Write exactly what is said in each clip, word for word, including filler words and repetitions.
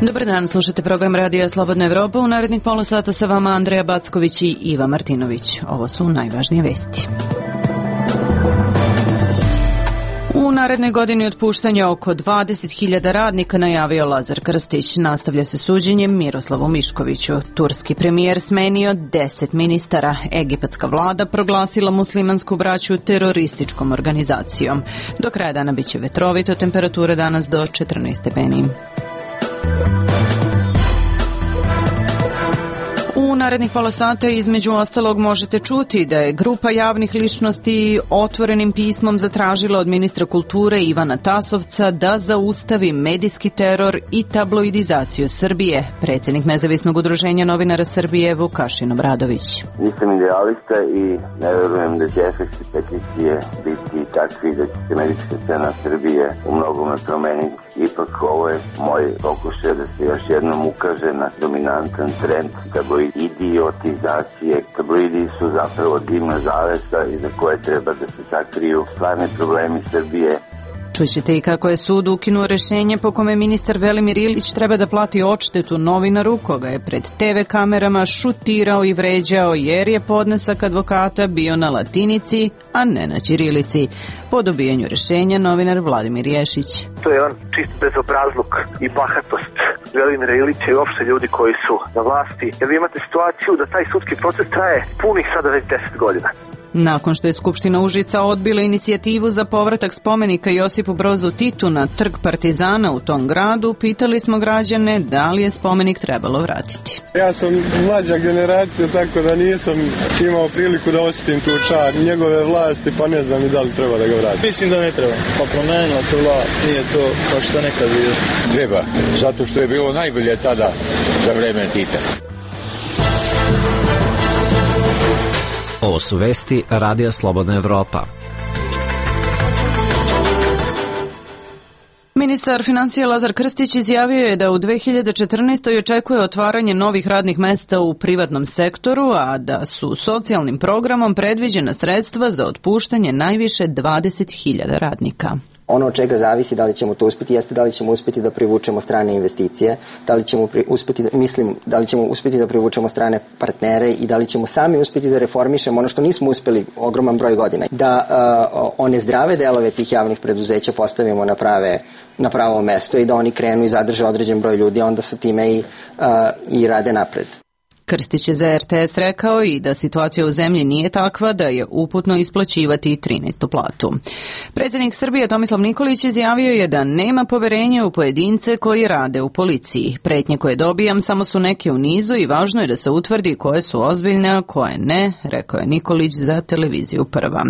Dobar dan, slušate program Radija Slobodna Evropa. U narednih pola sata sa vama Andreja Backović i Iva Martinović. Ovo su najvažnije vesti. U narednoj godini otpuštanja oko dvadeset hiljada radnika najavio Lazar Krstić. Nastavlja se suđenje Miroslavu Miškoviću. Turski premijer smenio deset ministara. Egipatska vlada proglasila muslimansku braću terorističkom organizacijom. Do kraja dana biće vetrovito, temperatura danas do četrnaest stepeni. U narednih pola sata između ostalog možete čuti da je grupa javnih ličnosti otvorenim pismom zatražila od ministra kulture Ivana Tasovca da zaustavi medijski teror i tabloidizaciju Srbije. Predsjednik Nezavisnog udruženja novinara Srbije Vukašin Obradović. Nisam idealista i ne verujem da će efekti peticije biti takvi da će se medijska scena Srbije u mnogome promeniti. Ipak ovo je moj pokušaj da se još jednom ukaže na dominantan trend tabloidiotizacije. Tabloidi su zapravo dimna zavesa iza koje treba da se sakriju stvarni problemi Srbije. Čućete i kako je sud ukinuo rešenje po kome ministar Velimir Ilić treba da plati odštetu novinaru koga je pred te ve kamerama šutirao i vređao jer je podnesak advokata bio na latinici, a ne na ćirilici. Po dobijanju rešenja novinar Vladimir Ješić. To je on čist bezobrazluk i bahatost Velimira Ilića i uopšte ljudi koji su na vlasti. Jer vi imate situaciju da taj sudski proces traje punih sada već deset godina. Nakon što je Skupština Užica odbila inicijativu za povratak spomenika Josipu Brozu Titu na Trg Partizana u tom gradu, pitali smo građane da li je spomenik trebalo vratiti. Ja sam mlađa generacija, tako da nisam imao priliku da osjetim tu čar njegove vlasti, pa ne znam i da li treba da ga vratim. Mislim da ne treba, pa promenila se vlast, nije to kao što nekad bilo. Treba, zato što je bilo najbolje tada za vreme Tita. Ovo su vesti Radija Slobodna Evropa. Ministar financija Lazar Krstić izjavio je da u dve hiljade četrnaestoj očekuje otvaranje novih radnih mesta u privatnom sektoru, a da su socijalnim programom predviđena sredstva za otpuštanje najviše dvadeset hiljada radnika. Ono od čega zavisi da li ćemo to uspjeti jeste da li ćemo uspjeti da privučemo strane investicije, da li ćemo uspjeti, mislim, da li ćemo uspjeti da privučemo strane partnere i da li ćemo sami uspjeti da reformišemo ono što nismo uspjeli ogroman broj godina. Da uh, one zdrave delove tih javnih preduzeća postavimo na prave na pravo mesto i da oni krenu i zadrže određen broj ljudi, onda sa time i, uh, i rade napred. Krstić je za er te es rekao i da situacija u zemlji nije takva da je uputno isplaćivati trinaestu platu. Predsjednik Srbije Tomislav Nikolić izjavio je da nema poverenja u pojedince koji rade u policiji. Pretnje koje dobijam samo su neke u nizu i važno je da se utvrdi koje su ozbiljne, a koje ne, rekao je Nikolić za televiziju Prva.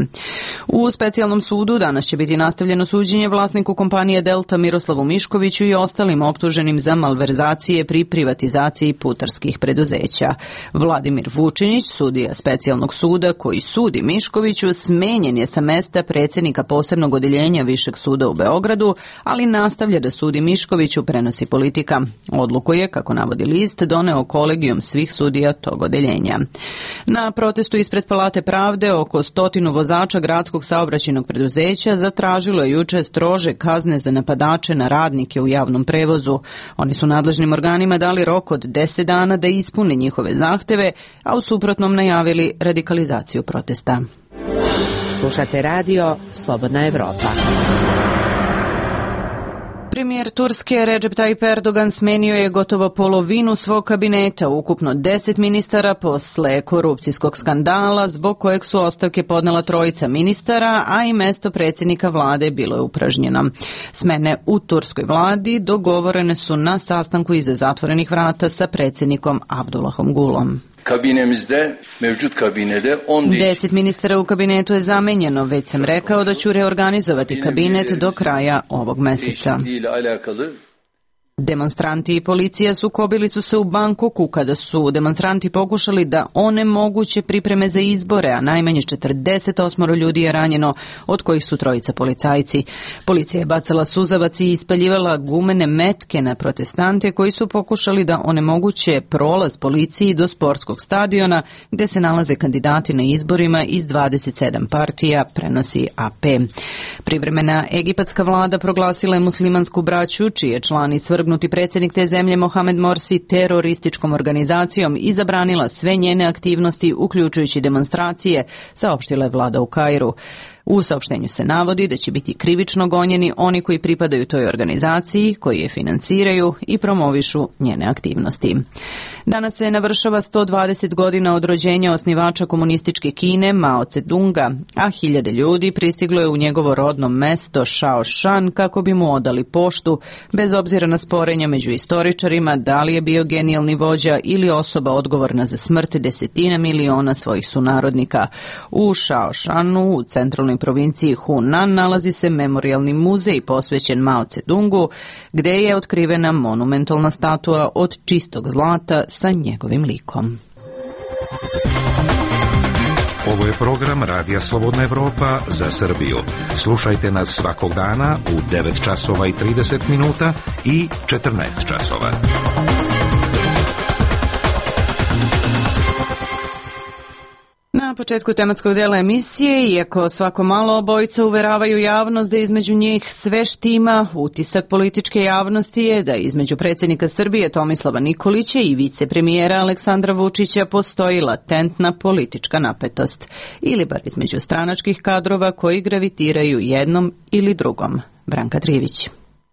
U specijalnom sudu danas će biti nastavljeno suđenje vlasniku kompanije Delta Miroslavu Miškoviću i ostalim optuženim za malverzacije pri privatizaciji putarskih preduzeća. Vladimir Vučinić, sudija specijalnog suda koji sudi Miškoviću, smenjen je sa mesta predsjednika posebnog odeljenja Višeg suda u Beogradu, ali nastavlja da sudi Miškoviću, prenosi Politika. Odluku je, kako navodi list, doneo kolegijum svih sudija tog odeljenja. Na protestu ispred Palate pravde oko stotinu vozača gradskog saobraćajnog preduzeća zatražilo je juče strože kazne za napadače na radnike u javnom prevozu. Oni su nadležnim organima dali rok od deset dana da ispune njihove zahteve, a u suprotnom najavili radikalizaciju protesta. Slušate radio Slobodna Evropa. Premijer Turske Recep Tayyip Erdogan smenio je gotovo polovinu svog kabineta, ukupno deset ministara posle korupcijskog skandala zbog kojeg su ostavke podnela trojica ministara, a i mesto predsjednika vlade bilo je upražnjeno. Smene u turskoj vladi dogovorene su na sastanku iza zatvorenih vrata sa predsjednikom Abdullahom Gulom. Kabinemizde, mevcut kabinede on Deset ministara u kabinetu je zamenjeno, već sam rekao da ću reorganizovati kabinet do kraja ovog meseca. Demonstranti i policija sukobili su se u Bangkoku kada su demonstranti pokušali da onemoguće pripreme za izbore, a najmanje četrdeset osam ljudi je ranjeno, od kojih su trojica policajci. Policija je bacala suzavac i ispaljivala gumene metke na protestante koji su pokušali da onemoguće prolaz policiji do sportskog stadiona gde se nalaze kandidati na izborima iz dvadeset sedam partija, prenosi a pe. Privremena egipatska vlada proglasila je muslimansku braću, čiji je član iz Svrgnuta podvrgnuti predsjednik te zemlje Mohamed Morsi terorističkom organizacijom i zabranila sve njene aktivnosti, uključujući demonstracije, saopštila je vlada u Kairu. U saopštenju se navodi da će biti krivično gonjeni oni koji pripadaju toj organizaciji, koji je financiraju i promovišu njene aktivnosti. Danas se navršava sto dvadeset godina od rođenja osnivača komunističke Kine Mao Tse-tunga, a hiljade ljudi pristiglo je u njegovo rodno mesto Shaoshan kako bi mu odali poštu, bez obzira na sporenja među istoričarima da li je bio genijalni vođa ili osoba odgovorna za smrt desetina miliona svojih sunarodnika. U Shaoshanu, u centralnoj provinciji Hunan, nalazi se memorijalni muzej posvećen Mao Tse-tungu, gde je otkrivena monumentalna statua od čistog zlata sa njegovim likom. Ovo je program Radija Slobodna Evropa za Srbiju. Slušajte nas svakog dana u devet časova i trideset minuta i četrnaest časova. Na početku tematskog dela emisije, iako svako malo obojica uveravaju javnost da između njih sve štima, utisak političke javnosti je da između predsjednika Srbije Tomislava Nikolića i vicepremijera Aleksandra Vučića postoji latentna politička napetost, ili bar između stranačkih kadrova koji gravitiraju jednom ili drugom. Branka Trivić.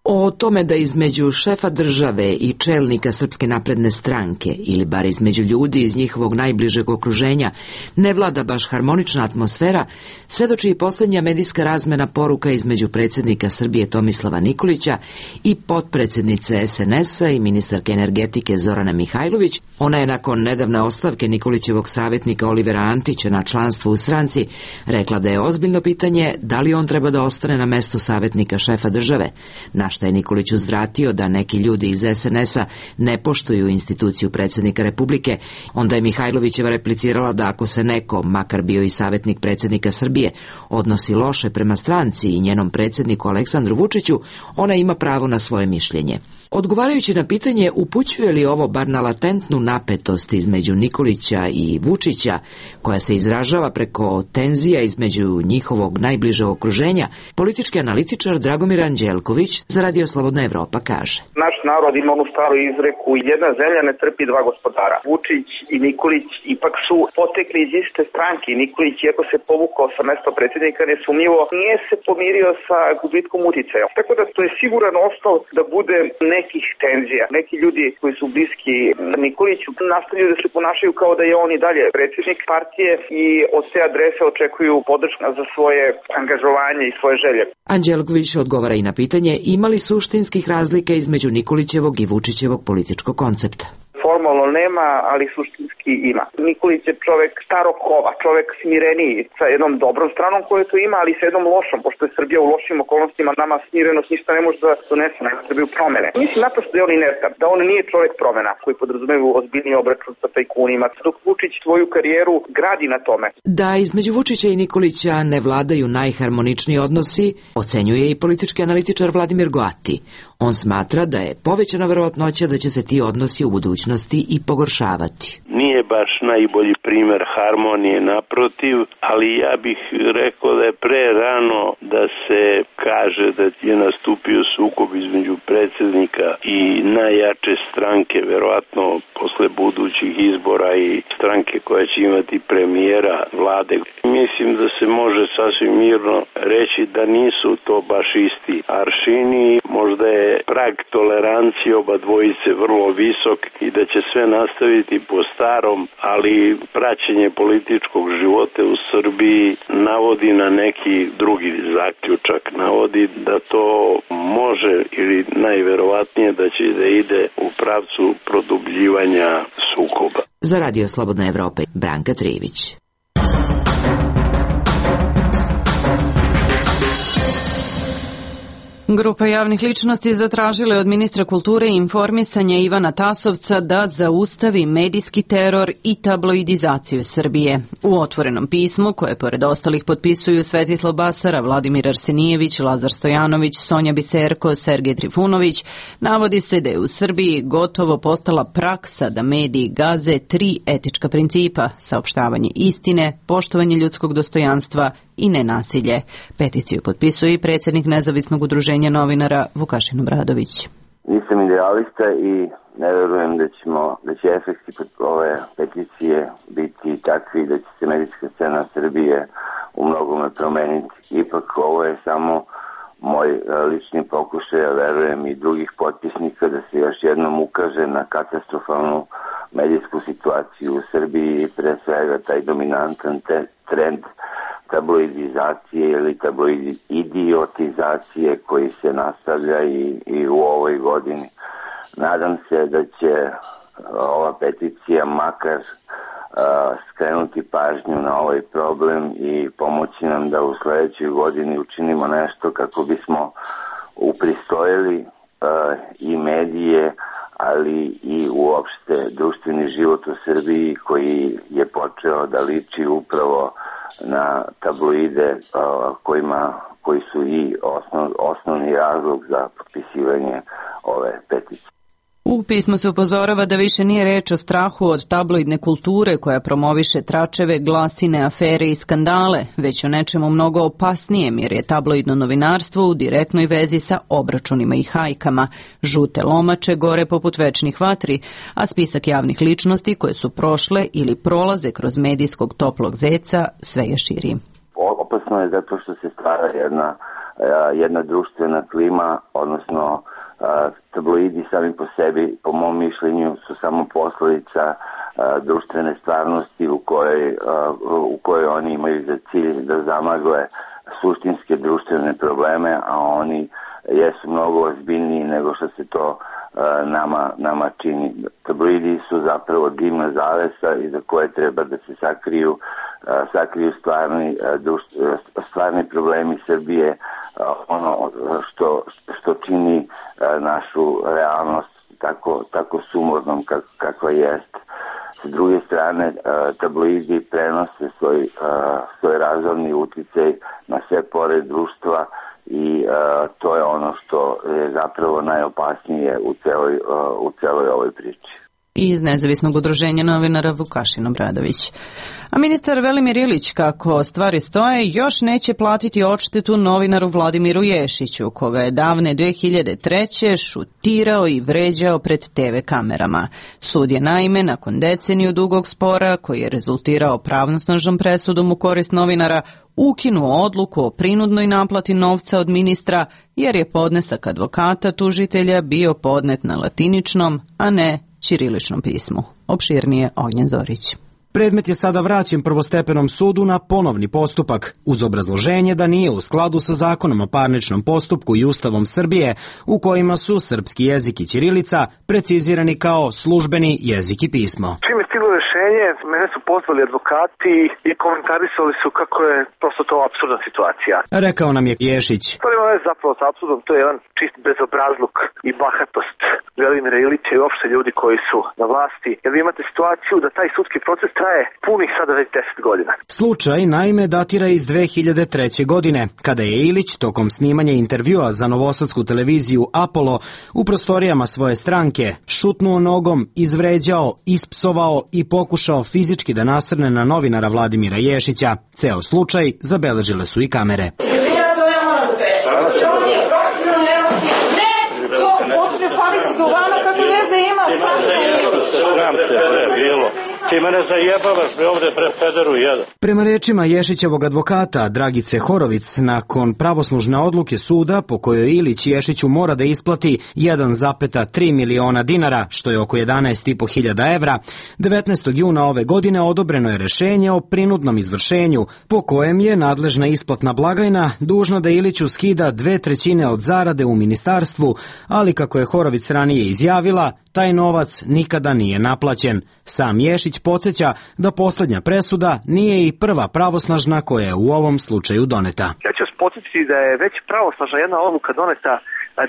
O tome da između šefa države i čelnika Srpske napredne stranke, ili bar između ljudi iz njihovog najbližeg okruženja, ne vlada baš harmonična atmosfera, svedoči i posljednja medijska razmena poruka između predsjednika Srbije Tomislava Nikolića i potpredsjednice es en es-a i ministarke energetike Zorane Mihajlović. Ona je nakon nedavne ostavke Nikolićevog savjetnika Olivera Antića na članstvo u stranci rekla da je ozbiljno pitanje da li on treba da ostane na mestu savjetnika šefa države, na šta je Nikolić uzvratio da neki ljudi iz es en es-a ne poštuju instituciju predsjednika Republike. Onda je Mihajlovićeva replicirala da ako se neko, makar bio i savjetnik predsjednika Srbije, odnosi loše prema stranci i njenom predsjedniku Aleksandru Vučiću, ona ima pravo na svoje mišljenje. Odgovarajući na pitanje upućuje li ovo bar na latentnu napetost između Nikolića i Vučića, koja se izražava preko tenzija između njihovog najbližeg okruženja, politički analitičar Dragomir Anđelković za Radio Slobodna Evropa kaže: Naš narod ima onu staru izreku, jedna zemlja ne trpi dva gospodara. Vučić i Nikolić ipak su potekli iz iste stranke. Nikolić, iako se povukao sa mesta predsjednika, nesumnjivo nije se pomirio sa gubitkom uticaja. Tako da to je siguran osnov da bude nekih tenzija. Neki ljudi koji su bliski Nikoliću nastavljaju da se ponašaju kao da je on i dalje predsjednik partije i od te adrese očekuju podršku za svoje angažovanje i svoje želje. Anđelković odgovara i na pitanje ima li suštinskih razlika između Nikolićevog i Vučićevog političkog koncepta. Formalno nema, ali suštinski ima. Nikolić je čovek starog kova, čovek smireniji, sa jednom dobrom stranom koju to ima, ali sa jednom lošom, pošto je Srbija u lošim okolnostima, nama smirenost ništa ne može da donese na Srbiju promene. Mislim naprosto da je on inertan, da on nije čovek promena koji podrazumevaju ozbiljni obračun sa tajkunima, dok Vučić svoju karijeru gradi na tome. Da između Vučića i Nikolića ne vladaju najharmoničniji odnosi, ocenjuje i politički analitičar Vladimir Goati. On smatra da je povećana verovatnoća da će se ti odnosi u budućnosti i pogoršavati. Nije baš najbolji primer harmonije, naprotiv, ali ja bih rekao da je pre rano da se kaže da je nastupio sukob između predsjednika i najjače stranke, verovatno posle budućih izbora, i stranke koja će imati premijera vlade. Mislim da se može sasvim mirno reći da nisu to baš isti aršini, možda je prag tolerancije oba dvojice vrlo visok i da će sve nastaviti po starom, ali praćenje političkog života u Srbiji navodi na neki drugi zaključak. Navodi da to može ili najverovatnije da će da ide u pravcu produbljivanja sukoba. Za Radio Slobodna Evropa, Branka Trivić. Grupa javnih ličnosti zatražila je od ministra kulture i informisanja Ivana Tasovca da zaustavi medijski teror i tabloidizaciju Srbije. U otvorenom pismu, koje pored ostalih potpisuju Svetislav Basara, Vladimir Arsenijević, Lazar Stojanović, Sonja Biserko, Sergej Trifunović, navodi se da je u Srbiji gotovo postala praksa da mediji gaze tri etička principa: saopštavanje istine, poštovanje ljudskog dostojanstva i nenasilje. Peticiju potpisuje i predsjednik nezavisnog udruženja novinara Vukašin Obradović. Mi Nisam idealista i ne verujem da ćemo, da će efekti ove peticije biti takvi da će se medijska scena Srbije u mnogome promeniti. Ipak ovo je samo moj lični pokušaj, ja verujem i drugih potpisnika, da se još jednom ukaže na katastrofalnu medijsku situaciju u Srbiji i pre svega taj dominantan te, trend tabloidizacije ili tabloidiotizacije koji se nastavlja i, i u ovoj godini. Nadam se da će ova peticija makar uh, skrenuti pažnju na ovaj problem i pomoći nam da u sledećoj godini učinimo nešto kako bismo upristojili uh, i medije, ali i uopšte društveni život u Srbiji koji je počeo da liči upravo na tabloide uh, kojima, koji su i osnov, osnovni razlog za potpisivanje ove peticije. U pismu se upozorava da više nije reč o strahu od tabloidne kulture koja promoviše tračeve, glasine, afere i skandale, već o nečemu mnogo opasnijem jer je tabloidno novinarstvo u direktnoj vezi sa obračunima i hajkama. Žute lomače gore poput večnih vatri, a spisak javnih ličnosti koje su prošle ili prolaze kroz medijskog toplog zeca sve je širi. Opasno je zato što se stvara jedna, jedna društvena klima, odnosno Uh, tabloidi sami po sebi, po mom mišljenju, su samo posledica uh, društvene stvarnosti u kojoj, uh, u kojoj oni imaju za cilj da zamagle suštinske društvene probleme, a oni jesu mnogo ozbiljniji nego što se to uh, nama, nama čini. Tabloidi su zapravo dimna zavesa iza koje treba da se sakriju, uh, sakriju stvarni, uh, društv, stvarni problemi Srbije, ono što, što čini našu realnost tako, tako sumornom kak, kakva jest. S druge strane, tabloidi prenose svoj, svoj razorni uticaj na sve pore društva i to je ono što je zapravo najopasnije u celoj, u celoj ovoj priči. Iz nezavisnog udruženja novinara Vukašin Obradović. A ministar Velimir Ilić, kako stvari stoje, još neće platiti odštetu novinaru Vladimiru Ješiću, koga je davne dve hiljade treće šutirao i vređao pred te ve kamerama. Sud je naime, nakon deceniju dugog spora, koji je rezultirao pravnosnažnom presudom u korist novinara, ukinuo odluku o prinudnoj naplati novca od ministra, jer je podnesak advokata tužitelja bio podnet na latiničnom, a ne ćiriličnom pismu. Opširnije Ognjen Zorić. Predmet je sada vraćen prvostepenom sudu na ponovni postupak, uz obrazloženje da nije u skladu sa zakonom o parničnom postupku i Ustavom Srbije, u kojima su srpski jezik i ćirilica precizirani kao službeni jezik i pismo. Čim je stiglo rešenje, mene su pozvali advokati i komentarisali su kako je prosto to apsurdna situacija. Rekao nam je Ješić. To ima veze zapravo sa apsurdom, to je jedan čist bezobrazluk i bahatost Velimira Ilića i uopšte ljudi koji su na vlasti. Jer vi imate situaciju da taj sudski proces traje punih sada već deset godina. Slučaj naime datira iz dve hiljade treće. godine, kada je Ilić tokom snimanja intervjua za novosadsku televiziju Apollo u prostorijama svoje stranke šutnuo nogom, izvređao, ispsovao i pokušao fizički da nasrne na novinara Vladimira Ješića. Ceo slučaj zabeležile su i kamere. Ti mene zajebavaš, bre, ovde pre pederu jedan. Prema rečima Ješićevog advokata Dragice Horovic, nakon pravoslužne odluke suda po kojoj Ilić Ješiću mora da isplati jedan zarez tri miliona dinara, što je oko jedanaest i po hiljada evra, devetnaestog juna ove godine odobreno je rešenje o prinudnom izvršenju, po kojem je nadležna isplatna blagajna dužna da Iliću skida dve trećine od zarade u ministarstvu, ali kako je Horovic ranije izjavila, taj novac nikada nije naplaćen. Sam Ješić podsjeća da poslednja presuda nije i prva pravosnažna koja je u ovom slučaju doneta. Ja ću vas podsjetiti da je već pravosnažna jedna odluka doneta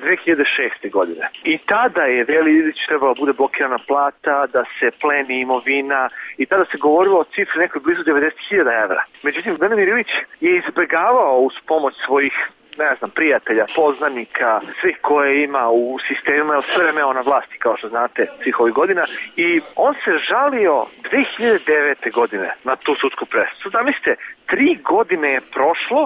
dve hiljade šeste. godine. I tada je Veli Ilić trebalo bude blokirana plata, da se pleni imovina i tada se govorilo o cifri nekoj blizu devedeset hiljada evra. Međutim, Velimir Ilić je izbegavao uz pomoć svojih ne znam, prijatelja, poznanika, svih koje ima u sistemima, jer sve vreme na vlasti, kao što znate, svih ovih godina. I on se žalio dve hiljade devete. godine na tu sudsku presudu. Zamislite, tri godine je prošlo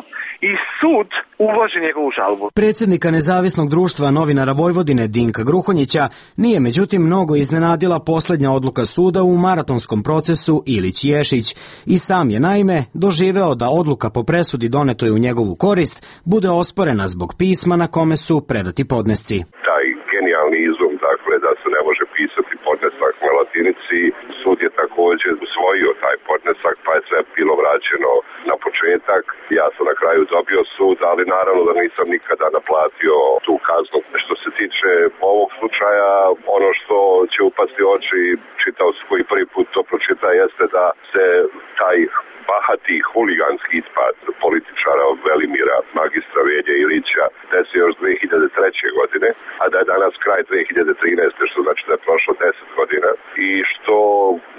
i sud uvaži njegovu žalbu. Predsjednika Nezavisnog društva novinara Vojvodine Dinka Gruhonjića nije međutim mnogo iznenadila posljednja odluka suda u maratonskom procesu Ilić-Ješić i sam je naime doživeo da odluka po presudi donetoj u njegovu korist bude osporena zbog pisma na kome su predati podnesci. Taj genijalni izum, dakle, da se ne može pisati podnesak na latinici, sud je također usvojio taj podnesak, pa je sve bilo vraćeno na početak. Ja sam na kraju dobio sud, ali naravno da nisam nikada naplatio tu kaznu. Što se tiče ovog slučaja, ono što će upasti oči, čitao sam koji prvi put to pročita, jeste da se taj bahati huliganski ispad političara Velimira, magistra Velje Ilića, desio još dve hiljade treće. godine, a da je danas kraj dve hiljade trinaeste. što znači da je prošlo deset godina i što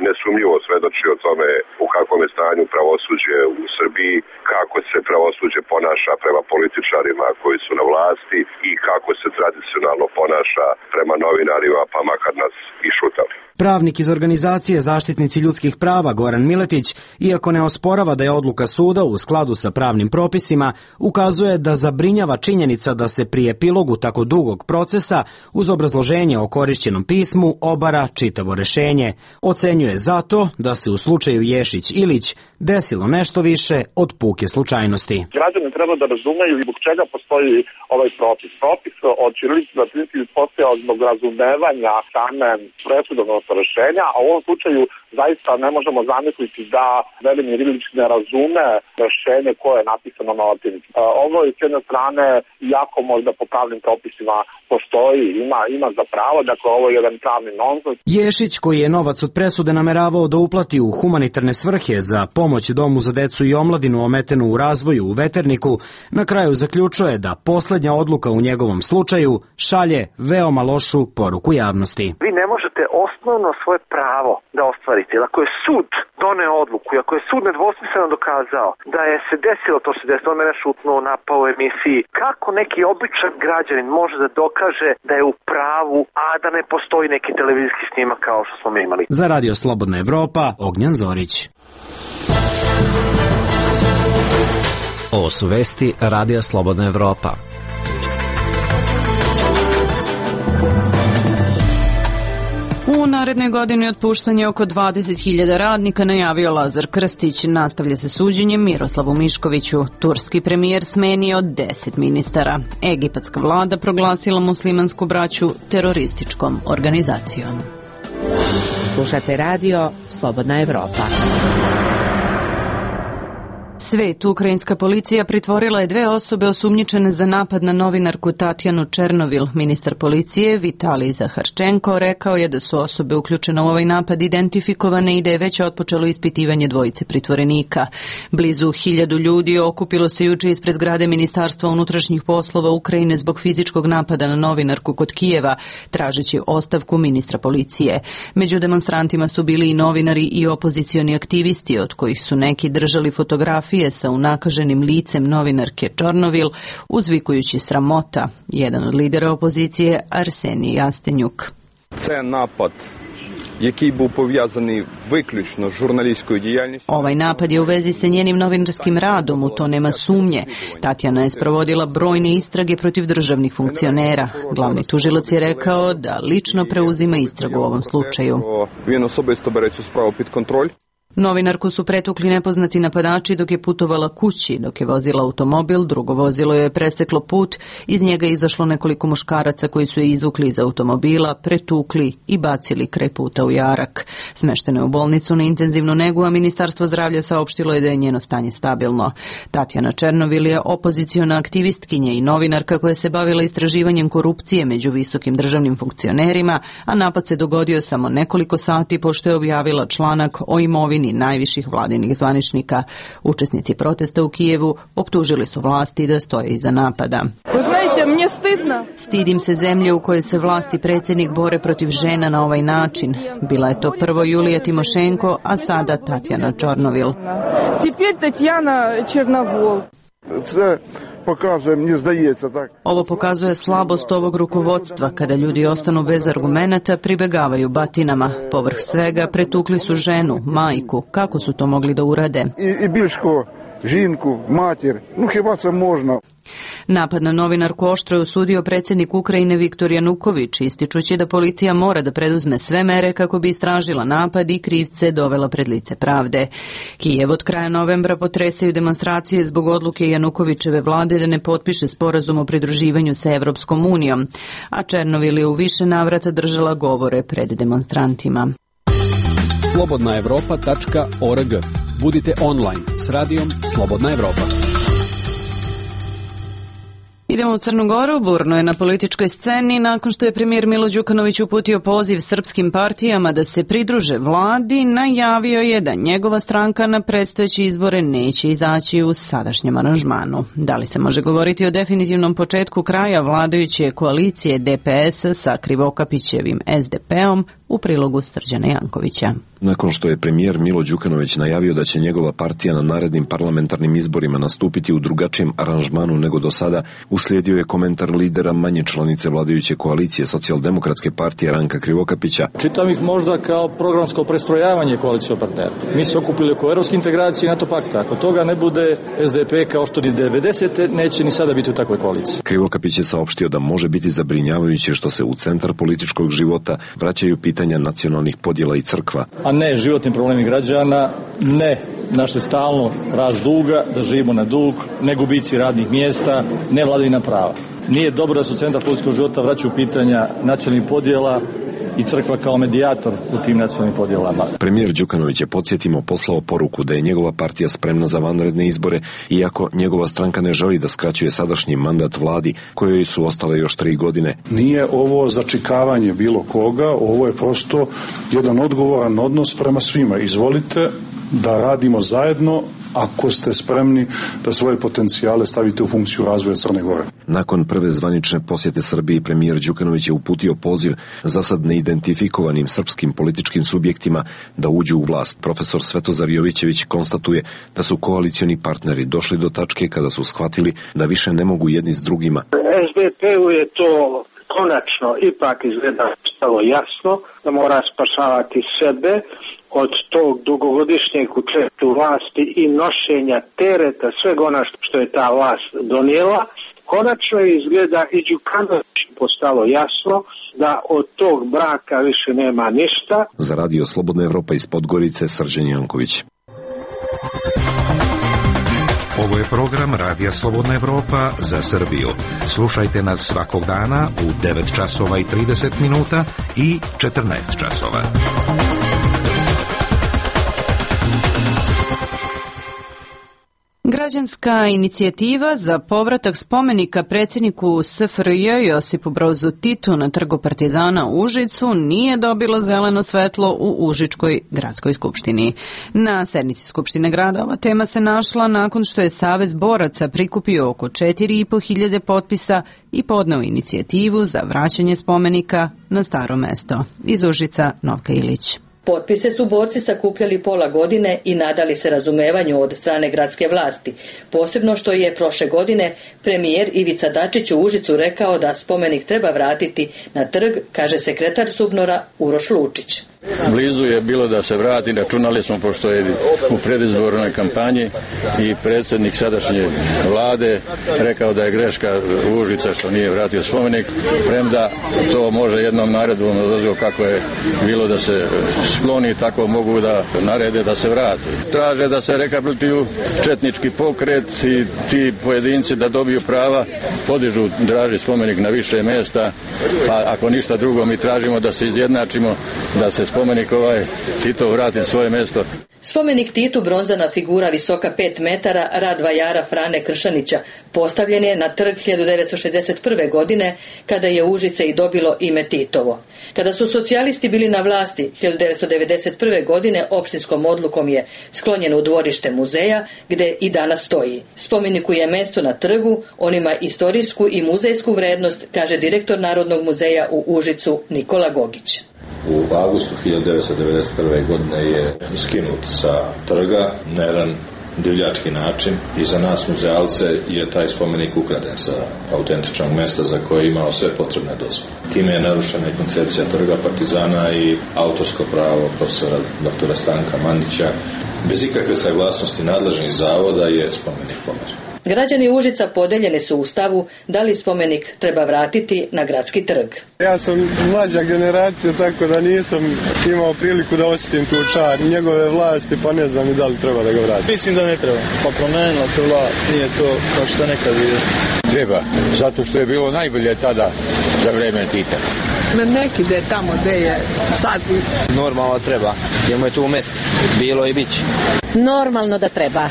nesumnjivo svedoči o tome u kakvom je stanju pravosuđe u Srbiji, kako se pravosuđe ponaša prema političarima koji su na vlasti i kako se tradicionalno ponaša prema novinarima, pa makar nas i šutali. Pravnik iz organizacije Zaštitnici ljudskih prava Goran Miletić, iako ne osporava da je odluka suda u skladu sa pravnim propisima, ukazuje da zabrinjava činjenica da se pri epilogu tako dugog procesa uz obrazloženje o korišćenom pismu obara čitavo rešenje. Ocenjuje zato da se u slučaju Ješić-Ilić desilo nešto više od puke slučajnosti. Građani treba da razumeju zbog čega postoji ovaj propis. Propis od ćirilice na latinici postojao zbog razumevanja same presudovnog rešenja, a u ovom slučaju zaista ne možemo zamisliti da Velimir Ilić ne razume rešenje koje je napisano na latinici. Ovo je s jedne strane jako možda po pravnim propisima postoji, ima, ima za pravo, dakle ovo je jedan pravni nonsens. Ješić, koji je novac od presude nameravao da uplati u humanitarne svrhe za pomoć Domu za decu i omladinu ometenu u razvoju u Veterniku, na kraju zaključuje da poslednja odluka u njegovom slučaju šalje veoma lošu poruku javnosti. Vi ne možete osnovno svoje pravo da ostvarite. Ako je sud doneo odluku i ako je sud nedvosmisleno dokazao da je se desilo to što se desilo, on mene šutnuo, napao u emisiji, kako neki običan građanin može da dokaže da je u pravu, a da ne postoji neki televizijski snimak kao što smo mi imali? Za Radio Slobodna Evropa, Ognjan Zorić. Ovo su vesti Radija Slobodna Evropa. U narednoj godini otpuštanje oko dvadeset hiljada radnika najavio Lazar Krstić. Nastavlja se suđenje Miroslavu Miškoviću. Turski premijer smenio deset ministara. Egipatska vlada proglasila muslimansku braću terorističkom organizacijom. Slušate radio Slobodna Evropa. Svet, ukrajinska policija pritvorila je dve osobe osumnjičene za napad na novinarku Tatjanu Černovil. Ministar policije Vitalij Zaharčenko rekao je da su osobe uključene u ovaj napad identifikovane i da je već otpočelo ispitivanje dvojice pritvorenika. Blizu hiljadu ljudi okupilo se juče ispred zgrade Ministarstva unutrašnjih poslova Ukrajine zbog fizičkog napada na novinarku kod Kijeva, tražeći ostavku ministra policije. Među demonstrantima su bili i novinari i opozicioni aktivisti, od kojih su neki držali fotografije sa unakaženim licem novinarke Čornovil, uzvikujući sramota. Jedan od lidera opozicije, Arsenij Jastenjuk. Це напад, який був пов'язаний виключно з журналістською діяльністю. Ovaj napad je u vezi sa njenim novinarskim radom, u to nema sumnje. Tatjana je sprovodila brojne istrage protiv državnih funkcionera. Glavni tužilac je rekao da lično preuzima istragu u ovom slučaju. Він особисто бере цю справу під контроль. Novinarku su pretukli nepoznati napadači dok je putovala kući. Dok je vozila automobil, drugo vozilo je preseklo put, iz njega je izašlo nekoliko muškaraca koji su je izvukli iz automobila, pretukli i bacili kraj puta u jarak. Smeštena je u bolnicu na intenzivnu negu, a Ministarstvo zdravlja saopštilo je da je njeno stanje stabilno. Tatjana Černovil je opoziciona aktivistkinja i novinarka koja se bavila istraživanjem korupcije među visokim državnim funkcionerima, a napad se dogodio samo nekoliko sati pošto je objavila članak o imovini najviših vladinih zvaničnika. Učesnici protesta u Kijevu optužili su vlasti da stoje iza napada. Stidim se zemlje u kojoj se vlasti predsjednik bore protiv žena na ovaj način. Bila je to prvo Julija Timošenko, a sada Tatjana Čornovil. Pokazuje, meni zdaється, tak. Ovo pokazuje slabost ovog rukovodstva. Kada ljudi ostanu bez argumenata, pribegavaju batinama. Povrh svega pretukli su ženu, majku. Kako su to mogli da urade? I, i Biljško žinku, mater, ну хіба це можна? Napad na novinarku oštro je osudio predsjednik Ukrajine Viktor Januković, ističući da policija mora da preduzme sve mere kako bi istražila napad i krivce dovela pred lice pravde. Kijev od kraja novembra potresaju demonstracije zbog odluke Janukovićeve vlade da ne potpiše sporazum o pridruživanju sa Evropskom unijom, a Černovil je u više navrata držala govore pred demonstrantima. slobodna evropa tačka org. Budite online s radijom Slobodna Evropa. Idemo u Crnu Goru. Burno je na političkoj sceni nakon što je premijer Milo Đukanović uputio poziv srpskim partijama da se pridruže vladi, najavio je da njegova stranka na predstojeće izbore neće izaći u sadašnjem aranžmanu. Da li se može govoriti o definitivnom početku kraja vladajuće koalicije D P S sa Krivokapićevim S D P-om, u prilogu Srđana Jankovića. Nakon što je premijer Milo Đukanović najavio da će njegova partija na narednim parlamentarnim izborima nastupiti u drugačijem aranžmanu nego do sada, uslijedio je komentar lidera manje članice vladajuće koalicije Socijaldemokratske partije Ranka Krivokapića. Čitam ih možda kao programsko prestrojavanje koalicijskog partnera. Mi se okupili oko evropske integracije i NATO pakta. Ako toga ne bude, S D P kao što ni devedesete neće ni sada biti u takvoj koaliciji. Krivokapić je saopštio da može biti zabrinjavajuće što se u centar političkog života vraćaju pitanja nacionalnih podjela i crkva. A ne životni problemi građana, ne naše stalno rast duga, da živimo na dug, ne gubici radnih mjesta, ne vladavina prava. Nije dobro da se u centar političkog života vraćaju pitanja nacionalnih podjela i crkva kao medijator u tim nacionalnim podjelama. Premijer Đukanović je, podsjetimo, poslao poruku da je njegova partija spremna za vanredne izbore, iako njegova stranka ne želi da skraćuje sadašnji mandat vladi kojoj su ostale još tri godine. Nije ovo začikavanje bilo koga, ovo je prosto jedan odgovoran odnos prema svima. Izvolite da radimo zajedno ako ste spremni da svoje potencijale stavite u funkciju razvoja Crne Gore. Nakon prve zvanične posjete Srbiji, premijer Đukanović je uputio poziv za sad neidentifikovanim srpskim političkim subjektima da uđu u vlast. Profesor Svetozar Jovićević konstatuje da su koalicioni partneri došli do tačke kada su shvatili da više ne mogu jedni s drugima. S D P-u je to konačno ipak izgleda stalo jasno da mora spašavati sebe od tog dugogodišnjeg učešća u vlasti i nošenja tereta svega ona što je ta vlast donijela. Konačno izgleda i Đukanović postalo jasno da od tog braka više nema ništa. Za radio Slobodna Evropa iz Podgorice, Srđan Janković. Ovo je program Radija Slobodna Evropa za Srbiju. Slušajte nas svakog dana u devet časova i trideset minuta i četrnaest časova. Građanska inicijativa za povratak spomenika predsjedniku S F R J Josipu Brozu Titu na Trgu Partizana u Užicu nije dobila zeleno svetlo u Užičkoj gradskoj skupštini. Na sednici Skupštine grada ova tema se našla nakon što je Savez boraca prikupio oko četiri i po hiljade potpisa i podneo inicijativu za vraćanje spomenika na staro mesto. Iz Užica, Novka Ilić. Potpise su borci sakupljali pola godine i nadali se razumevanju od strane gradske vlasti. Posebno što je prošle godine premijer Ivica Dačić u Užicu rekao da spomenik treba vratiti na trg, kaže sekretar Subnora Uroš Lučić. Blizu je bilo da se vrati, računali smo pošto je u predizbornoj kampanji i predsjednik sadašnje vlade rekao da je greška Užica što nije vratio spomenik, premda to može jednom naredbom odozvo kako je bilo da se skloni, tako mogu da narede da se vrati. Traže da se rehabilituju četnički pokret i ti pojedinci da dobiju prava, podižu draži spomenik na više mjesta, pa ako ništa drugo mi tražimo da se izjednačimo, da se spomenik ovaj Tito vrati svoje mjesto. Spomenik Titu, bronzana figura visoka pet metara, rad vajara Frane Kršanića, postavljen je na trg hiljadu devetsto šezdeset prve. godine, kada je Užice i dobilo ime Titovo. Kada su socijalisti bili na vlasti hiljadu devetsto devedeset prve. godine, opštinskom odlukom je sklonjeno u dvorište muzeja, gde i danas stoji. Spomeniku je mesto na trgu, on ima istorijsku i muzejsku vrednost, kaže direktor Narodnog muzeja u Užicu Nikola Gogić. U avgustu hiljadu devetsto devedeset prve. godine je skinut sa trga na jedan divljački način i za nas muzealce je taj spomenik ukraden sa autentičnog mjesta za koje je imao sve potrebne dozvole. Time je narušena i koncepcija Trga Partizana i autorsko pravo profesora doktora Stanka Mandića bez ikakve saglasnosti nadležnih zavoda je spomenik pomeren. Građani Užica podeljeni su u stavu da li spomenik treba vratiti na gradski trg. Ja sam mlađa generacija, tako da nisam imao priliku da osjetim tu čar njegove vlasti, pa ne znam i da li treba da ga vrati. Mislim da ne treba, pa promenila se vlast, nije to kao što nekad je. Treba, zato što je bilo najbolje tada za vreme Tita. Neki da je tamo gde je sad. Normalno treba, jer mu je tu mjesto, bilo i biće. Normalno da treba,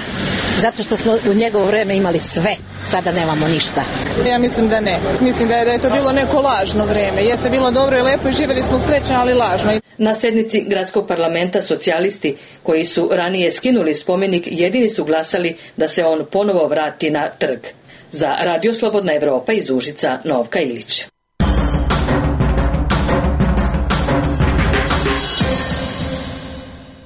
zato što smo u njegovo vreme imali sve, sada nemamo ništa. Ja mislim da ne, mislim da je, da je to bilo neko lažno vreme, jer se bilo dobro i lepo i živjeli smo srećno, ali lažno. Na sednici gradskog parlamenta socijalisti, koji su ranije skinuli spomenik, jedini su glasali da se on ponovo vrati na trg. Za Radio Slobodna Evropa iz Užica, Novka Ilić.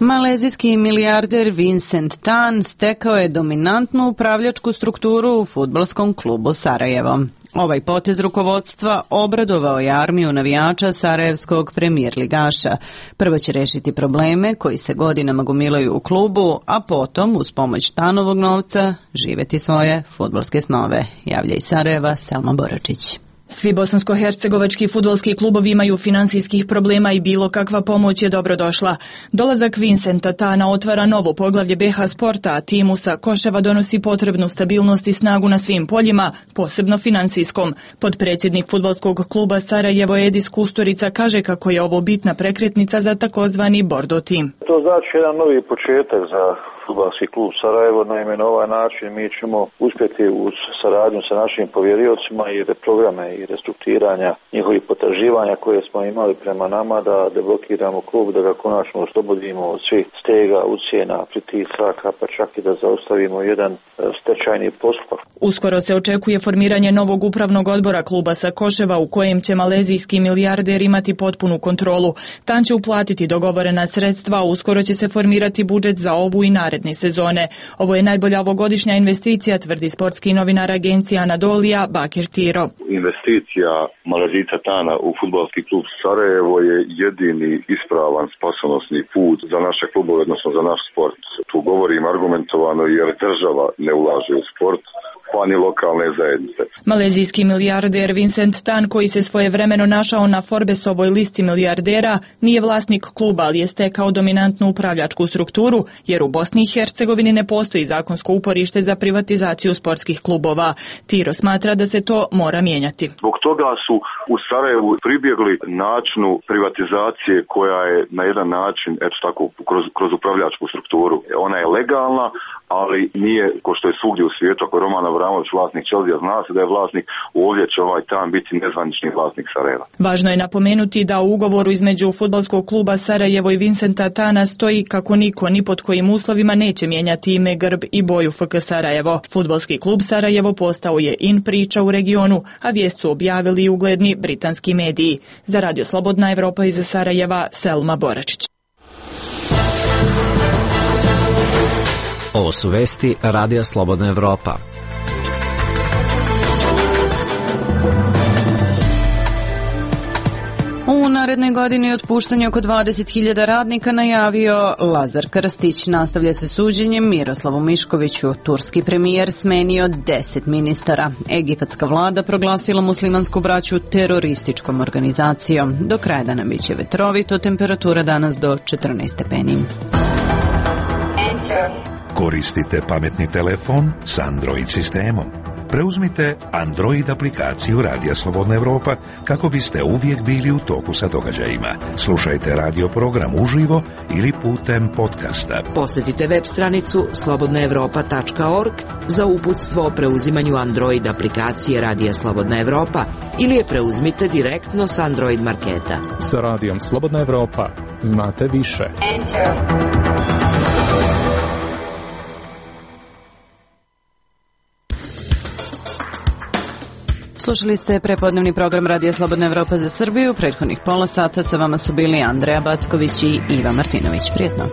Malezijski milijarder Vincent Tan stekao je dominantnu upravljačku strukturu u fudbalskom klubu Sarajevo. Ovaj potez rukovodstva obradovao je armiju navijača sarajevskog premijer ligaša. Prvo će rešiti probleme koji se godinama gomilaju u klubu, a potom, uz pomoć Tanovog novca, živjeti svoje fudbalske snove. Javlja iz Sarajeva Selma Boračić. Svi bosansko-hercegovački fudbalski klubovi imaju finansijskih problema i bilo kakva pomoć je dobrodošla. Dolazak Vincenta Tana otvara novo poglavlje B H Sporta, a timu sa Koševa donosi potrebnu stabilnost i snagu na svim poljima, posebno finansijskom. Podpredsjednik fudbalskog kluba Sarajevo Edis Kusturica kaže kako je ovo bitna prekretnica za takozvani Bordo tim. To znači jedan novi početak za fudbalski klub Sarajevo. Naime, na ovaj način mi ćemo uspjeti uz saradnju sa našim povjeriocima i programe i restrukturiranja njihovih potraživanja koje smo imali prema nama da deblokiramo klub, da ga konačno oslobodimo od svih stega, ucjena, pritisaka, pa čak i da zaustavimo jedan stečajni postupak. Uskoro se očekuje formiranje novog upravnog odbora kluba sa Koševa u kojem će malezijski milijarder imati potpunu kontrolu. Tan će uplatiti dogovorena sredstva, a uskoro će se formirati budžet za ovu i naredne sezone. Ovo je najbolja ovogodišnja investicija, tvrdi sportski novinar agencije Anadolija Bakir Tiro. Investicija Malezijca Tana u fudbalski klub Sarajevo je jedini ispravan spasonosni put za naše klubove, odnosno za naš sport. Tu govorim argumentovano jer država ne ulaže u sport, pa ni lokalne zajednice. Malezijski milijarder Vincent Tan, koji se svojevremeno našao na Forbesovoj listi milijardera, nije vlasnik kluba, ali je stekao dominantnu upravljačku strukturu, jer u Bosni i Hercegovini ne postoji zakonsko uporište za privatizaciju sportskih klubova. Tiro smatra da se to mora mijenjati. Zbog toga su u Sarajevu pribjegli načinu privatizacije koja je na jedan način, eto tako, kroz, kroz upravljačku strukturu. Ona je legalna, ali nije, ko što je svugdje u svijetu, ako Roman Abramović vlasnik Chelsea, zna se da je vlasnik, ovdje će ovaj Tan biti nezvanični vlasnik Sarajeva. Važno je napomenuti da u ugovoru između fudbalskog kluba Sarajevo i Vincenta Tana stoji kako niko ni pod kojim uslovima neće mijenjati ime, grb i boju F K Sarajevo. Fudbalski klub Sarajevo postao je in priča u regionu, a vijest su objavili i ugledni britanski mediji. Za Radio Slobodna Evropa iz Sarajeva, Selma Boračić. Ovo su vesti Radija Slobodna Evropa. U narednoj godini otpuštanje oko dvadeset hiljada radnika najavio Lazar Krstić. Nastavlja se suđenjem Miroslavu Miškoviću. Turski premijer smenio deset ministara. Egipatska vlada proglasila muslimansku braću terorističkom organizacijom. Do kraja dana biće vetrovito, temperatura danas do četrnaest stepeni. Koristite pametni telefon s Android sistemom. Preuzmite Android aplikaciju Radija Slobodna Evropa kako biste uvijek bili u toku sa događajima. Slušajte radio program uživo ili putem podcasta. Posjetite web stranicu slobodna evropa tačka org za uputstvo o preuzimanju Android aplikacije Radija Slobodna Evropa ili je preuzmite direktno s Android marketa. Sa Radijom Slobodna Evropa znate više. Enter. Slušali ste prepodnevni program Radija Slobodna Evropa za Srbiju. Prethodnih pola sata sa vama su bili Andreja Backović i Iva Martinović. Prijetno.